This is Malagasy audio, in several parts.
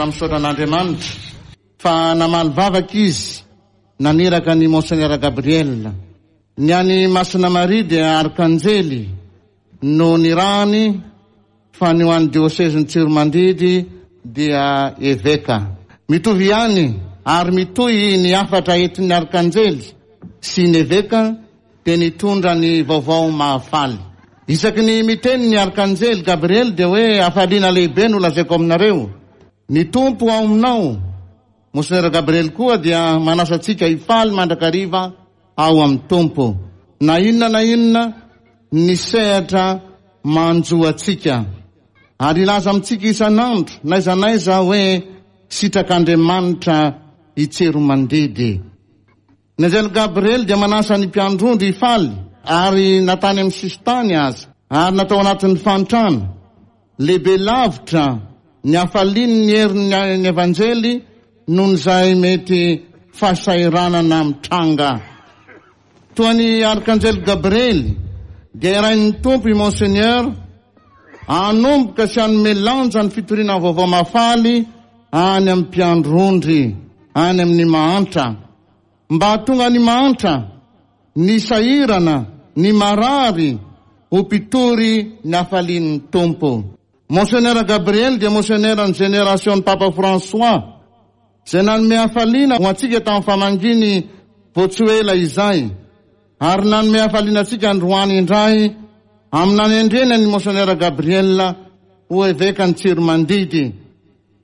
Misaotra an'Andriamanitra fa namaly vavaka izy naniraka an'i Monseigneur Gabriel. Ny an'i Masina Maria dia Arkanjely no nirahany fa ny ho an'ny diosezin'i Tsiromandidy dia Eveka. Mitovy ihany ary mitohy ny hafatra entin'ny Arkanjely sy ny Eveka dia nitondra ny vaovao mahafaly. Isaky ny miteny ny Arkanjely Gabriely dia hoe hafaliana lehibe no lazaiko aminareo. Ny Tompo ao aminao. Monsenera Gabriely koa dia manasa antsika hifaly mandrakariva ao amin'ny Tompo. Na inona na inona ny sehatra manjo antsika. Ary hilaza amintsika isan'andro n'aiza n'aiza hoe sitrak'Andriamanitra i Tsiromandidy. Ny anjely Gabriely dia manasa ny mpiandry ondry hifaly, ary na tany amin'ny sisin-tany aza, ary na tao anatin'ny fahantrana. Lehibe lavitra ny hafalian'ny herin'ny Evanjely noho izay mety fahasahiranana mitranga. Toa ny Arkanjely Gabriely dia irain'ny Tompo i Monseigneur hanomboka sy hanome lanja ny fitoriana ny Vaovao Mahafaly any amin'ny mpiandry ondry, any amin'ny mahantra. Mba hahatonga ny mahantra, ny sahirana, ny marary ho mpitory ny hafalian'ny Tompo. Monseigneur Gabriel dia Monseigneur-n'ny Génération-n'ny Papa François, izay nanome hafaliana ho antsika tamin'ny famangiany vao tsy ho ela izay, ary nanome hafaliana antsika androany indray amin'ny nanendreny an'i Monseigneur Gabriel ho Evekan'i Tsiromandidy.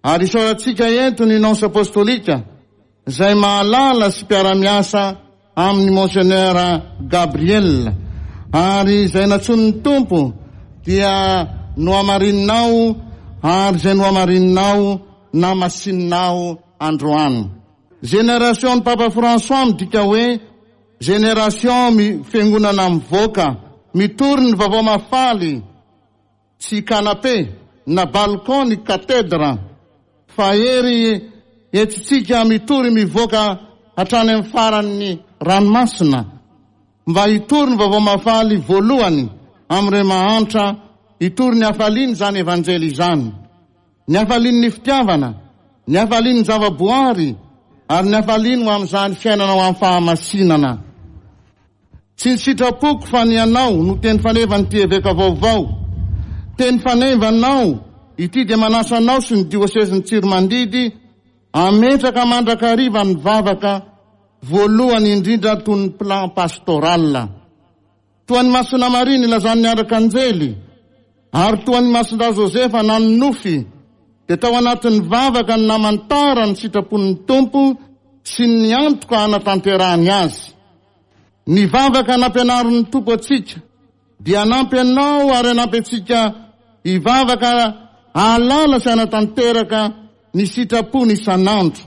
Ary isaorantsika eto ny Nonce Apostolika izay mahalala sy mpiara-miasa amin'i Monseigneur Gabriel, ary izay nantsoin'ny Tompo dia nohamarininao ary izay nohamarininao namasininao androany. Génération-n'i Papa François midika hoe génération fiangonana mivoaka, mitory ny vaovao mahafaly, Tsy canapé na balcon ny cathedre fa hery entintsika mitory mivoaka hatrany amin'ny faran'ny ranomasina mba hitory ny vaovao mahafaly voalohany amin'ireo mahantra, hitory ny hafaliany izany Evanjely izany. Ny hafalian'ny fitiavana, ny hafalian'ny zava-boary ary ny hafaliany ho amin'izany fiainana ho amin'ny fahamasinana. Tsy ny sitrapoko fa ny anao no teny fanevan'ity eveka vaovao. Teny fanevanao ity dia manasa anao sy ny diosezin'i Tsiromandidy hametraka mandrakariva ny vavaka voalohany indrindra toy ny plan pastoral. Toa an'i Masina Maria nilazan'ny Arkanjely ary toa an'i Masindahy Josefa nanonofy dia tao anatin'ny vavaka no namantarany ny sitrapon'ny Tompo sy ny antoka hanatanterahany azy. Ny vavaka nampianarin'ny Tompo antsika dia hanampy anao ary hanampy antsika hivavaka hahalala sy hanatanteraka ny sitrapony isan'andro.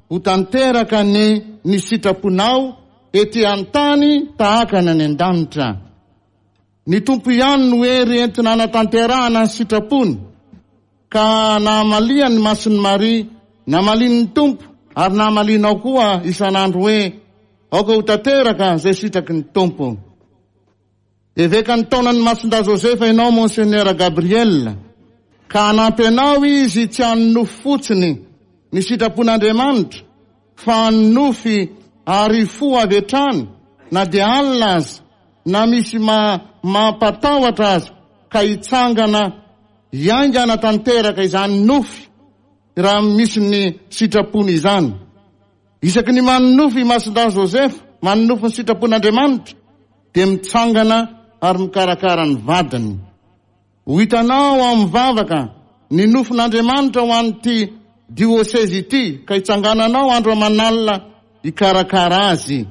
Ho tanteraka anie ny sitraponao ety an-tany tahaka ny any an-danitra. Ny Tompo ihany no hery entina hanatanterahana ny sitrapony. Ka nahamalian'i Masin'i Maria, namalian'ny Tompo, ary namalianao koa isan'andro hoe, Aoka ho tanteraka izay sitraky ny Tompo. Evekan'ny taonan'i Masindahy Josefa ianao Monseigneur Gabriel, ka hanampy anao izy tsy hanonofy fotsiny ny sitrapon'Andriamanitra, fa hanonofy ary hifoha avy hatrany na dia alina aza, na misy mampatahotra aza, ka hitsangana Hiainga hanatanteraka izany nofy raha misy ny sitrapony izany. Isaky ny manonofy i Masindahy Joseph, manonofy ny sitrapon'Andriamanitra, dia mitsangana ary mikarakara ny vadiny. Ho hitanao ao amin'ny vavaka ny nofin'Andriamanitra ho an'ity diosezy ity ka hitsangananao andro aman'alina hikarakara azy.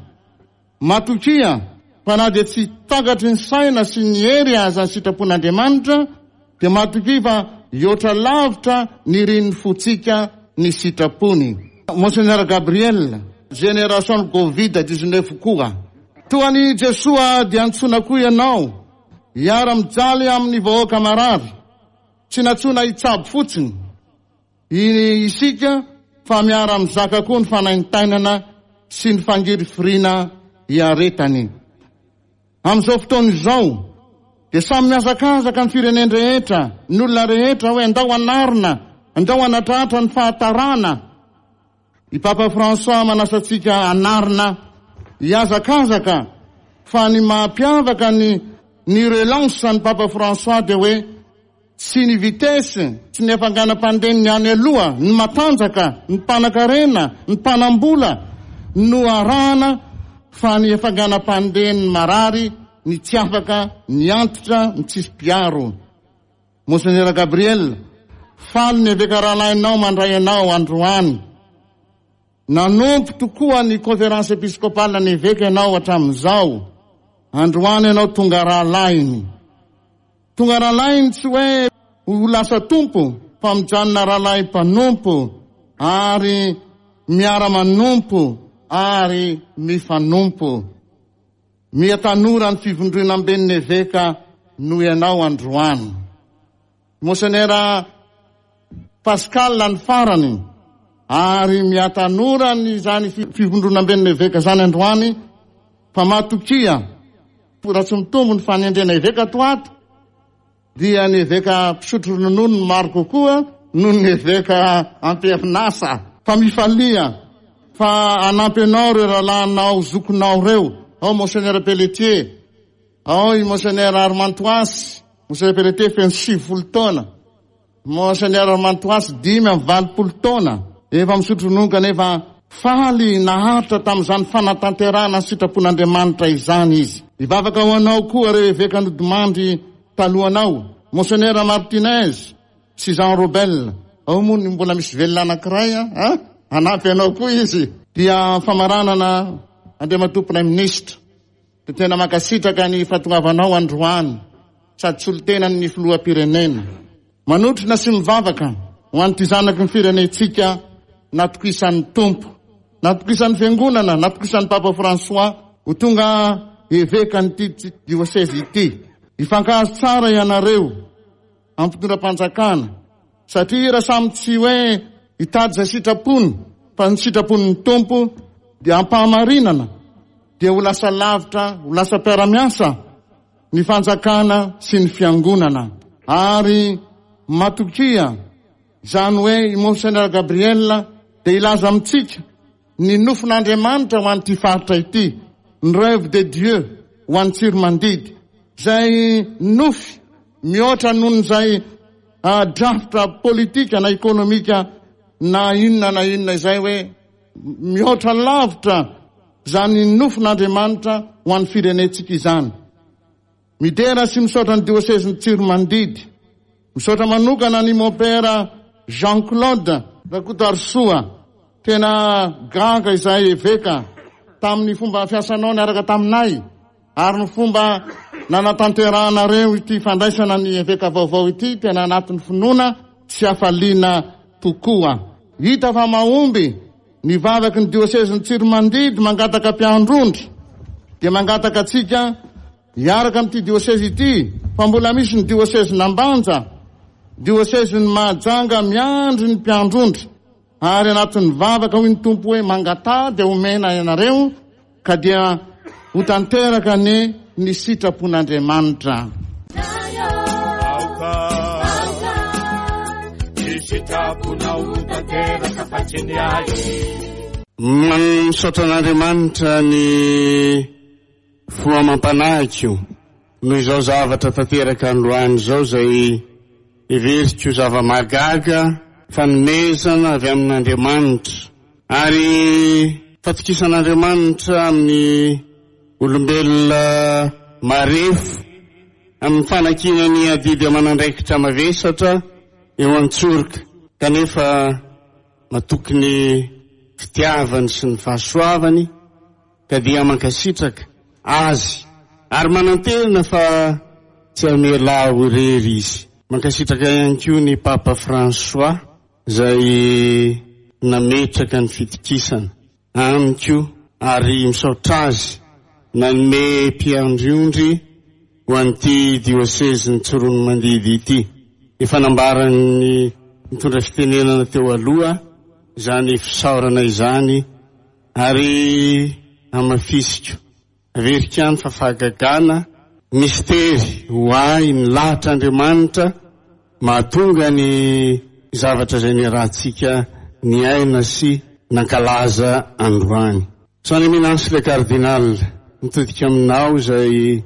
Matokia fa na dia tsy takatry ny saina sy ny hery aza ny sitrapon'Andriamanitra, dia matokia fa hihoatra lavitra ny irin'ny fontsika ny sitrapony. Monseigneur Gabriel, Génération Covid 19 koa. Toa an'i Jesoa dia antsoina koa ianao hiara-mijaly amin'ny vahoaka marary. Tsy nantsoina hitsabo fotsiny. Isika fa miara-mizaka koa ny fanaintainana sy ny fangirifiriana iaretany. Amin'izao fotoana izao dia samy mihazakazaka ny firenen-drehetra, ny olona rehetra hoe andao hanarina, Andao hanatratra ny fahatarana. I Papa François manasa antsika hanarina, hihazakazaka fa ny mahampiavaka ny ny relance an'i Papa François dia hoe tsy ny vitesse, tsy ny hafanganam-pandehan'ny any aloha, ny matanjaka, ny mpanakarena, ny mpanam-bola no arahana fa ny hafanganam-pandehan'ny marary, ny tsy afaka, ny antitra, ny tsisy mpiaro. Monsenera Gabriel, faly ny eveka rahalahinao mandray anao androany. Nanompo tokoa ny Conférence Episcopale ny eveka ianao hatramin'izao. Androany ianao tonga rahalahiny. Tonga rahalahiny tsy hoe ho lasa tompo fa mijanona rahalahy mpanompo ary miara-manompo ary mifanompo. Miha tanora ny fivondronamben'ny eveka noho ianao androany. Monsenera Pascal ny farany ary miha tanora ny izany fivondronamben'ny eveka izany androany fa matokia raha tsy mitombo ny fanendrena eveka ato ato dia ny eveka mpisotro ronono no maro kokoa noho ny eveka am-perinasa. Fa mifalia fa hanampy anao ireo rahalahinao zokinao ireo, ao Monseigneur Pelletier, ao i Monseigneur Armand Toasy, Monseigneur Pelletier feno 90 taona, Monseigneur Armand Toasy 85 taona, efa misotro ronono kanefa faly naharitra tamin'izany fanatanterahana ny sitrapon'Andriamanitra izany izy. Hivavaka ho anao koa ireo eveka nodimandry talohanao, Monseigneur Martinez sy Jean Robel. Ao moa ny mbola misy velona anankiray an, hanampy anao koa izy. Dia famaranana Andriamatoa Praiminisitra. Dia tena mankasitraka ny fahatongavanao androany sady solontenan'ny filoham-pirenena. Manotrona sy mivavaka ho an'ity zanaky ny firenentsika natokisan'ny Tompo, natokisan'ny Fiangonana, natokisan'ny Papa François ho tonga evekan'ity diosezy ity. Hifankahazo tsara ianareo amin'ny fitondram-panjakana satria raha samy tsy hoe hitady izay sitrapony fa ny sitrapon'ny Tompo dia ampahamarinana dia ho lasa lavitra, ho lasa mpiara-miasa ny fanjakana sy ny fiangonana. Ary matokia, izany hoe i Monseigneur Gabriel dia hilaza amintsika ny nofin'Andriamanitra ho an'ity faritra ity, ny rêve de Dieu ho an'i Tsiromandidy, izay nofy mihoatra noho izay drafitra politika na ekonomika na inona na inona izay hoe mihoatra lavitra izany nofin'Andriamanitra ho an'ny firenentsika izany. Midera sy misaotra ny diosezin'i Tsiromandidy. Misaotra manokana an'i Mompera Jean Claude Rakotoarisoa. Tena gaga izahay eveka tamin'ny fomba fiasanao niaraka taminay ary ny fomba nanatanterahanareo ity fandraisana ny eveka vaovao ity tena anatin'ny finoana sy hafaliana tokoa. Hita fa mahomby ny vavaky ny diosezin'i Tsiromandidy mangataka mpiandrondry dia mangataka antsika hiaraka amin'ity diosezy ity fa mbola misy ny diosezin'Ambanja, diosezin'i Mahajanga miandry ny mpiandrondry ary anatin'ny vavaka hoy ny Tompo hoe mangataha dia homena ianareo ka dia ho tanteraka anie ny sitrapon'Andriamanitra. Aoka ny sitraponao ho tanteraka fa tsy ny ahy. Misaotra an'Andriamanitra ny fo amam-panahiko noho izao zavatra tanteraka androany izao izay heveriko zava-mahagaga, fanomezana avy amin'Andriamanitra ary fatokisan'Andriamanitra amin'ny olombelona marefo amin'ny fanankinany adidy aman'andraikitra mavesatra eo an-tsoroka kanefa matoky ny fitiavany sy ny fahasoavany ka dia mankasitraka Azy ary manantena fa tsy hamela ahy ho irery Izy. Mankasitraka ihany koa ny Papa François izay nametraka ny fitokisana amiko ary misaotra azy nanome mpiandry ondry ho an'ity diosezin'i Tsiroanomandidy ity. Efa nambaran'ny nitondra fitenenana teo aloha izany fisaorana izany Ary hamafisiko, averiko ihany fa fahagagana, mistery ho ahy ny lahatr'Andriamanitra mahatonga ny. zavatra izay niarahantsika niaina sy nankalaza androany. Son Eminence le Cardinal, mitodika aminao izay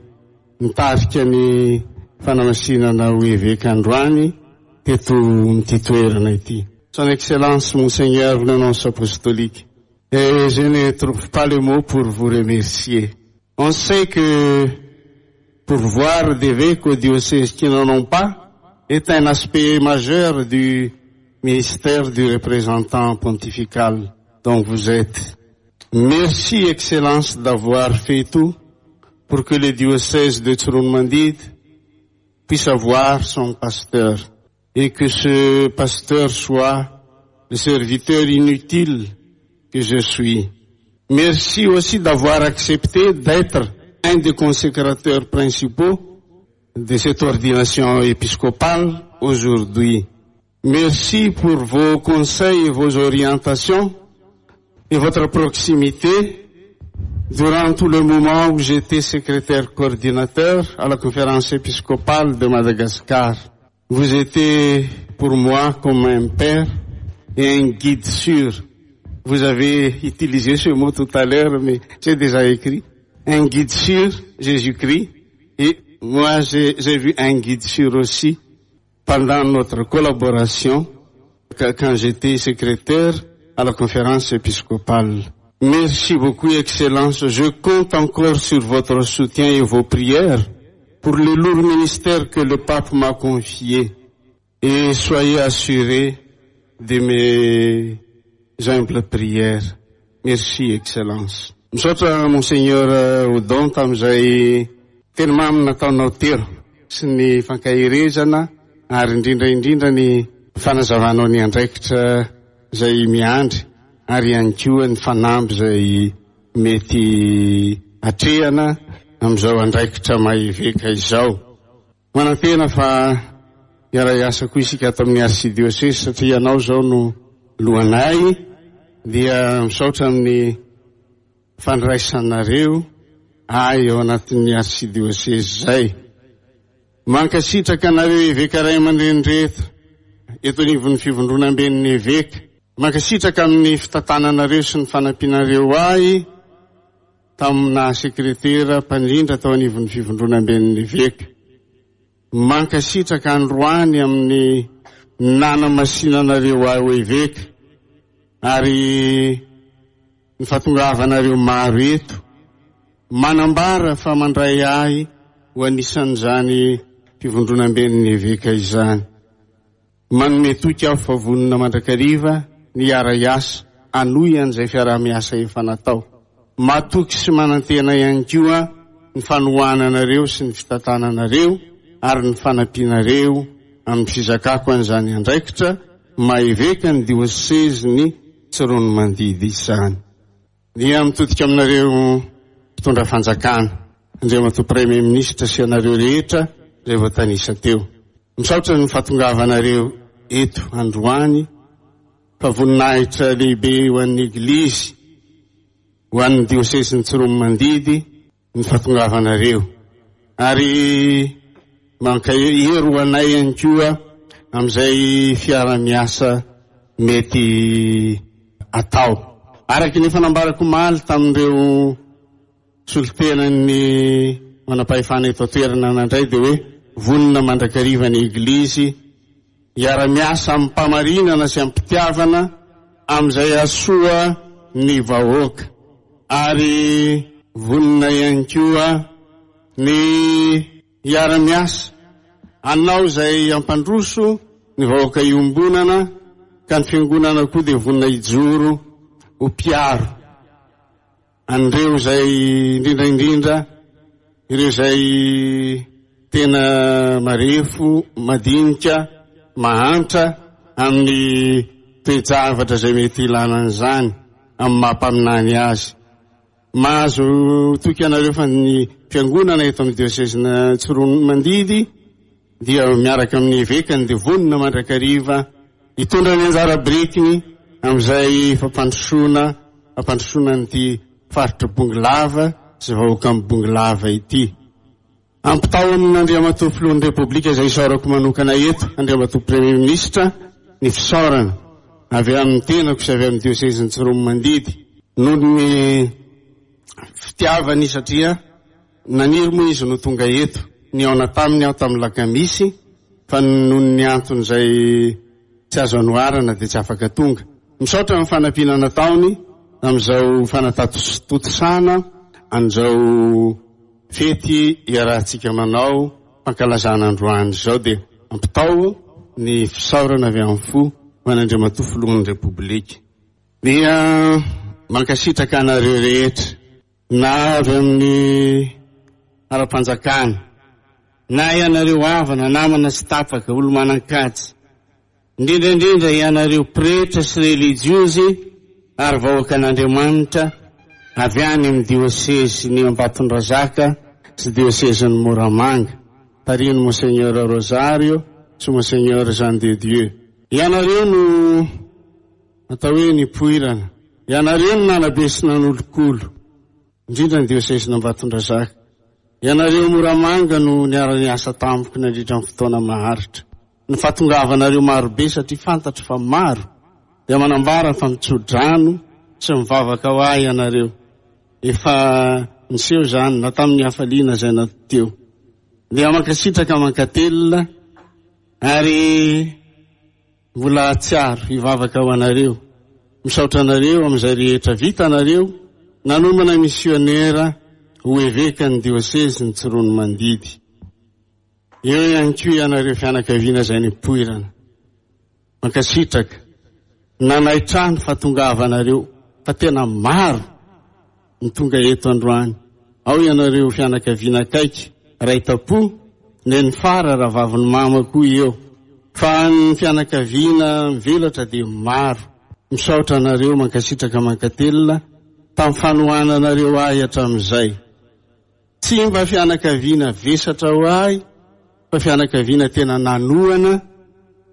nitarika ny fanamasinana ho eveka androany teto amin'ity toerana ity. Son Excellence Monseigneur le Nonce Apostolique, et je ne trouve pas les mots pour vous remercier. On sait que pourvoir d'évêques au diocèse qui n'en ont pas est un aspect majeur du ministère du représentant pontifical dont vous êtes. Merci, Excellence, d'avoir fait tout pour que le diocèse de Tsiroanomandidy puisse avoir son pasteur et que ce pasteur soit le serviteur inutile que je suis. Merci aussi d'avoir accepté d'être un des consécrateurs principaux de cette ordination épiscopale aujourd'hui. Merci pour vos conseils et vos orientations et votre proximité durant tout le moment où j'étais secrétaire coordinateur à la conférence épiscopale de Madagascar. Vous étiez pour moi comme un père et un guide sûr. Vous avez utilisé ce mot tout à l'heure, mais j'ai déjà écrit. Un guide sûr, Jésus-Christ. Et moi, j'ai vu un guide sûr aussi pendant notre collaboration quand j'étais secrétaire à la conférence épiscopale. Merci beaucoup, Excellence. Je compte encore sur votre soutien et vos prières pour le lourd ministère que le pape m'a confié. Et soyez assurés de mes humbles prières. Merci, Excellence. Misaotra Monseigneur Odon tamin'izay teny mamy nataonao teo sy ny fankaherezana ary indrindra indrindra ny fanazavanao ny andraikitra izay miandry ary ihany koa ny fanamby izay mety atrehana amin'izao andraikitra maha eveka izao. Manantena fa hiara-hiasa koa isika ato amin'ny Arsidiosesy satria ianao izao no lohanay dia misaotra amin'ny fandraisanareo ahy ao anatin'ny Arsidiosesy izay. Mankasitraka anareo eveka ray aman-dreny rehetra eto anivon'ny fivondronamben'ny eveka. Mankasitraka amin'ny fitantananareo sy ny fanampianareo ahy tamin'ny naha sekretera mpandrindra tao anivon'ny fivondronamben'ny eveka. Mankasitraka androany amin'ny nanamasinanareo ahy ho eveka ary ny fahatongavanareo maro eto manambara fa mandray ahy ho anisan'izany fivondronamben'ny eveka izany. Manome toky aho fa vonona mandrakariva ny hiara-hiasa hanohy an'izay fiaraha-miasa efa natao. Matoky sy manantena ihany koa ny fanohananareo sy ny fitantananareo ary ny fanampianareo amin'ny fizakako an'izany andraikitra maha eveka ny diosezin'i Tsiroanomandidy izany. Dia mitodika aminareo mpitondra fanjakana, Andriamatoa Premier Ministre sy ianareo rehetra izay voatanisa teo. Misaotra ny fahatongavanareo eto androany fa voninahitra lehibe ho an'ny Eglizy, ho an'ny diosezin'i Tsiroanomandidy ny fahatongavanareo ary mankahery ho anay ihany koa amin'izay fiara-miasa mety atao. Araka ny efa nambarako omaly tamin'ireo solontenan'ny manam-pahefana eto an-toerana nandray dia hoe vonona mandrakariva ny Eglizy hiara-miasa amim-pamarinana sy amim-pitiavana amin'izay hahasoa ny vahoaka ary vonona ihany koa ny hiara-miasa hanao izay hampandroso ny vahoaka iombonana ka ny fiangonana koa dia vonona hijoro ho mpiaro An'ireo izay indrindra indrindra ireo izay tena marefo, madinika, mahantra amin'ny toe-javatra izay mety ilana an'izany amin'ny maha mpaminany azy. Mahazo toky anareo fa ny fiangonana eto amin'ny diosezin'Antsiroanomandidy dia miaraka amin'ny evekany dia vonona mandrakariva hitondra ny anjara birikiny amin'izay fampandrosoana fampandrosoana an'ity faritra Bongolava sy vahoakan'i Bongolava ity. Ampitao amin'Andriamatoa Filohan'ny Repoblika izay isaorako manokana eto, Andriamatoa Premier Ministre, ny fisaorana avy amin'ny tenako sy avy amin'ny diosezin'i Tsiroanomandidy noho ny fitiavany satria naniry moa izy no tonga eto. Nihaona taminy aho tamin'ny lakamisy fa noho ny antony izay tsy azo anoharana dia tsy afaka tonga. Misaotra amin'ny fanampiana nataony tamin'izao fanatatontosana an'izao fety iarahantsika manao fankalazana androany izao dia ampitao ny fisaorana avy amin'ny fo ho an'Andriamatoa Filohan'ny Repoblika. Dia mankasitraka anareo rehetra na avy amin'ny ara-panjakana na ianareo havana, namana sy tapaka, olo-manan-kaja. Indrindra indrindra ianareo pretra sy relijiozy ary vahoakan'Andriamanitra avy any amin'ny diosezin'i Ambatondrazaka sy diosezin'i Moramanga, tarihin'i Monseigneur Rosario sy Monseigneur Jean de Dieu. Ianareo no atao hoe nipoirana. Ianareo no nanabe sy nanolokolo. Indrindra ny diosezin'Ambatondrazaka. Ianareo Moramanga no niara-niasa tamiko nandritra ny fotoana maharitra. Ny fahatongavanareo marobe satria fantatro fa maro dia manambara fa mitso-drano sy mivavaka ho ahy ianareo. Efa niseho izany na tamin'ny hafaliana izay na teo. Dia mankasitraka mankatelina ary Mbola hahatsiaro hivavaka ho anareo. Misaotra anareo amin'izay rehetra vitanareo nanomana misionera ho evekan'ny diosezin'i Tsiroanomandidy. Eo ihany koa ianareo fianakaviana izay nipoirana. Mankasitraka. Nanaitra ahy ny fahatongavanareo fa tena maro. ny tonga eto androany. Ao ianareo fianakaviana akaiky, ray tam-po, neny fara, rahavavin'i mama koa eo. Fa ny fianakaviana mivelatra dia maro. Misaotra anareo, mankasitraka mankatelina tamin'ny fanohananareo ahy hatramin'izay. Tsy mba fianakaviana vesatra ho ahy fa fianakaviana tena nanohana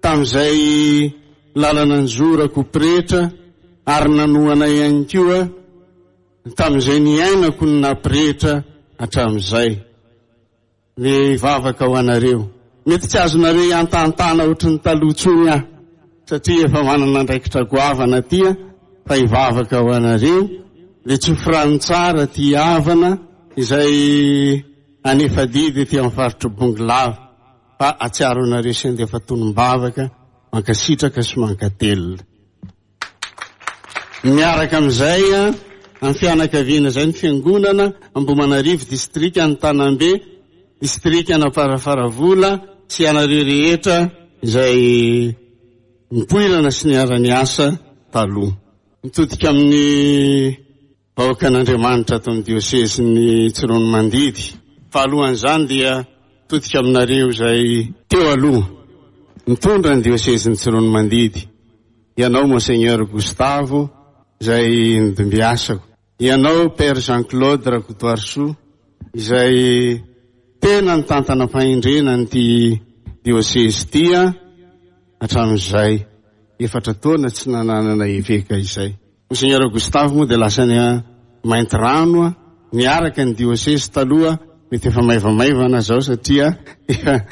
tamin'izay lalana nizorako ho pretra ary nanohana ihany koa tamin'izay niainako ny naha pretra hatramin'izay. Mivavaka ho anareo. Mety tsy azonareo iantahantahana ohatry ny taloha intsony aho satria efa manana andraikitra goavana aty fa hivavaka ho anareo. Dia tsofy rano tsara aty havana izay hanefa adidy ety amin'ny faritr'i Bongolava fa hatsiaro anareo sy handefa tonom-bavaka mankasitraka sy mankatelina. Miaraka amin'izay, amin'ny fianakaviana izay ny fiangonana Ambohimanarivo, distrikan'i Tanambe, distrikan'Amparafaravola sy ianareo rehetra izay nipoirana sy niara-niasa taloha. Mitodika amin'ny vahoakan'Andriamanitra ato amin'ny diosezin'i Tsiroanomandidy. Fa alohan'izany dia mitodika aminareo izay teo aloha nitondra ny diosezin'i Tsiroanomandidy, ianao Monseigneur Gustavo izay nodimbiasako, ianao Père Jean Claude Rakotoarisoa izay tena nitantana fahendrena an'ity diosezy ity hatramin'izay efatra taona tsy nananana eveka izay. Monseigneur Gustave moa dia lasa any Maintirano niaraka ny diosezy taloha, mety efa maivamaivana zao satria efa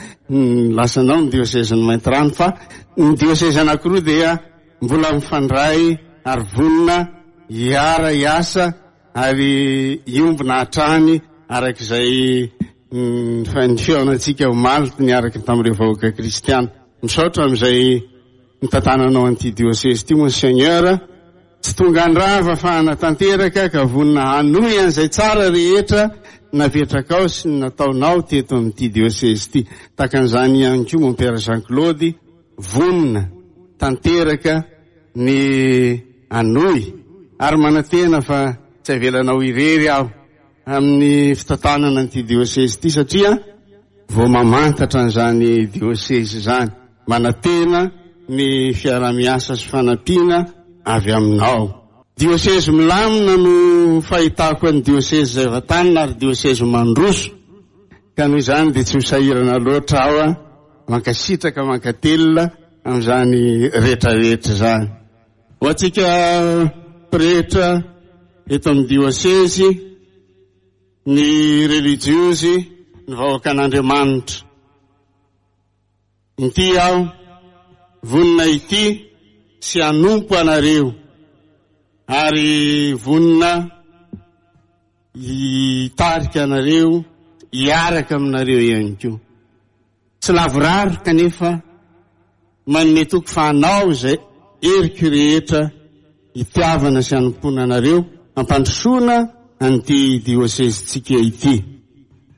lasanao ny diosezin'i Maintirano fa ny diosezy anankiroa dia mbola mifandray ary vonona hiara hiasa ary hiombona hatrany araka izay ny fihaonantsika omaly niaraka tamin'ireo vahoaka kristiana. Misaotra amin'izay nitantananao an'ity diosezy ity Monseigneur, tsy tonga handrava fa hanatanteraka ka vonona hanohy an'izay tsara rehetra napetrakao sy ny nataonao teto amin'ity diosezy ity. Tahaka an'izany ihany koa Mon Père Jean Claude, vonona tanteraka ny hanohy ary manantena fa tsy avelanao irery aho amin'ny fitantanana an'ity diosezy ity satria vao mamantatra an'izany diosezy izany. Manantena ny fiaraha-miasa sy fanampiana avy aminao. Diosezy milamina no fahitako an'ny diosezy izay vantanina ary diosezy mandroso ka noho izany dia tsy ho sahirana loatra aho. Mankasitraka mankatelina amin'izany rehetrarehetra izany. Ho antsika pretra eto amin'ny diosezy, ny relijiozy, ny vahoakan'Andriamanitra. Inty aho. Vonona hitia sy hanompo anareo ary vonona hitarika anareo hiaraka aminareo ihany koa. Tsy lavorary kanefa manome toky fa hanao izay heriko rehetra hitiavana sy hanompoana anareo hampandrosoana an'ity diosezintsika ity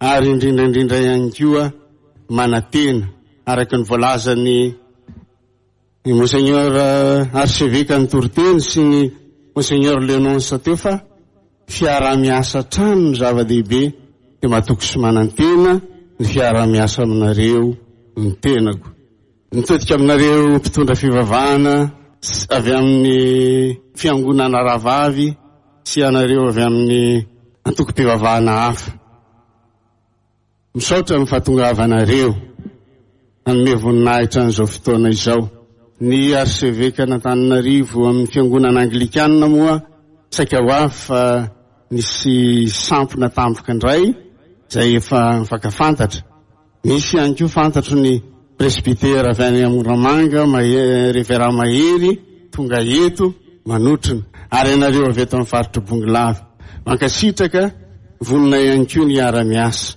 ary indrindra indrindra ihany koa manantena araka ny voalazan'ny Ny Monseigneur Archevêque nitoriteny sy ny Monseigneur Le Nonce teo fa fiaraha-miasa hatrany no zava-dehibe dia matoky sy manantena ny fiaraha-miasa aminareo ny tenako. Mitodika aminareo mpitondra fivavahana avy amin'ny fiangonana rahavavy sy ianareo avy amin'ny antokom-pivavahana hafa. Misaotra amin'ny fahatongavanareo hanome voninahitra an'izao fotoana izao. Ny Arsevekan'Antananarivo amin'ny Fiangonana Anglikana moa saika ho avy fa nisy sampona tampoka indray izay efa mifankafantatra. Misy ihany koa fantatro ny Presbytera avy any Moramanga, Reverend Mahery, tonga eto manotrona, ary ianareo avy eto amin'ny faritr'i Bongolava. Mankasitraka, vonona ihany koa ny hiara-miasa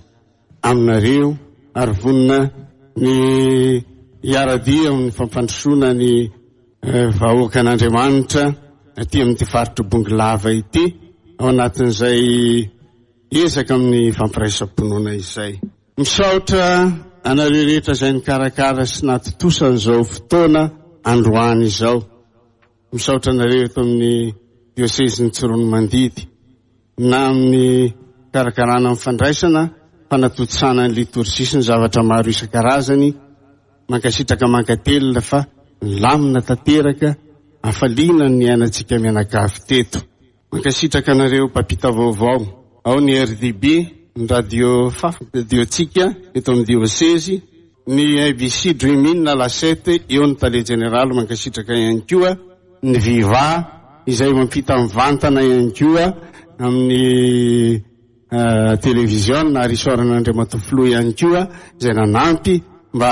aminareo ary vonona ny hiara-dia amin'ny fampandrosoana ny vahoakan'Andriamanitra aty amin'ity faritr'i Bongolava ity ao anatin'izay ezaka amin'ny fampiraisam-pinoana izay. Misaotra anareo rehetra izay nikarakara sy nahatontosa an'izao fotoana androany izao. Misaotra anareo eto amin'ny diosezin'i Tsiroanomandidy na amin'ny fikarakarana ny fandraisana, fanatontosana ny litorjia sy ny zavatra maro isan-karazany. Mankasitraka mankatelina fa nilamina tanteraka, hafaliana ny niainantsika mianakavy teto. Mankasitraka anareo mpampita vaovao ao ny RDB, ny radio faf, radio-tsika eto amin'ny diosezy, ny ABC Dream In na La Sept, eo ny tale jeneraly mankasitraka ihany koa, ny Viva izay mampita mivantana ihany koa amin'ny televiziona ary isaorana Andriamatoa Filoha ihany koa izay nanampy mba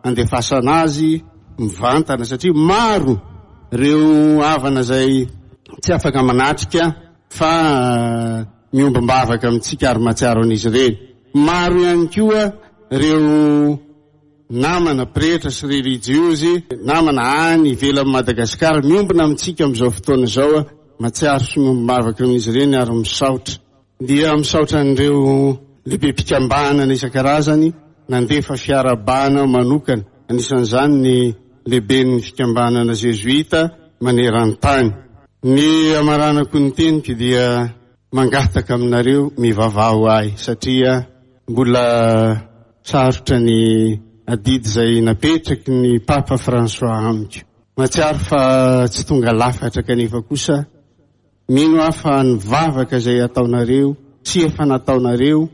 handefasana azy mivantana satria maro ireo havana izay tsy afaka manatrika fa miombom-bavaka amintsika ary mahatsiaro an'izy ireny. Maro ihany koa ireo namana pretra sy relijiozy, namana any ivelan'i Madagasikara miombona amintsika amin'izao fotoana izao, mahatsiaro sy miombom-bavaka amin'izy ireny ary misaotra. Dia misaotra an'ireo lehibem-pikambanana isan-karazany nandefa fiarahabana manokana, anisan'izany ny lehiben'ny fikambanana zezoita maneran-tany. Ny hamaranako ny teniko dia mangataka aminareo mivavaha ho ahy satria mbola sarotra ny adidy izay napetraky ny Papa François amiko. Mahatsiaro fa tsy tonga lafatra kanefa kosa mino aho fa ny vavaka izay ataonareo sy efa nataonareo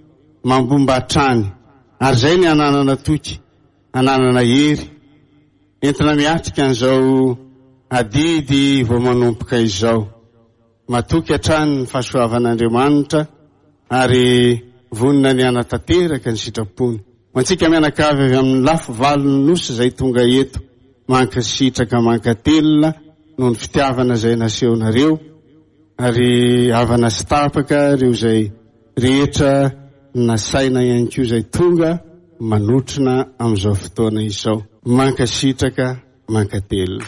mambomba hatrany ary izay ny hananana toky, hananana hery entina miatrika an'izao adidy vao manomboka izao. Matoky hatrany ny fahasoavan'Andriamanitra ary vonona ny hanatanteraka ny sitrapony. Ho antsika mianakavy avy amin'ny lafy valon'ny Nosy izay tonga eto, mankasitraka mankatelina noho ny fitiavana izay nasehonareo ary havana sy tapaka ireo izay rehetra nasaina ihany koa izay tonga manotrona amin'izao fotoana izao. Mankasitraka mankatelina.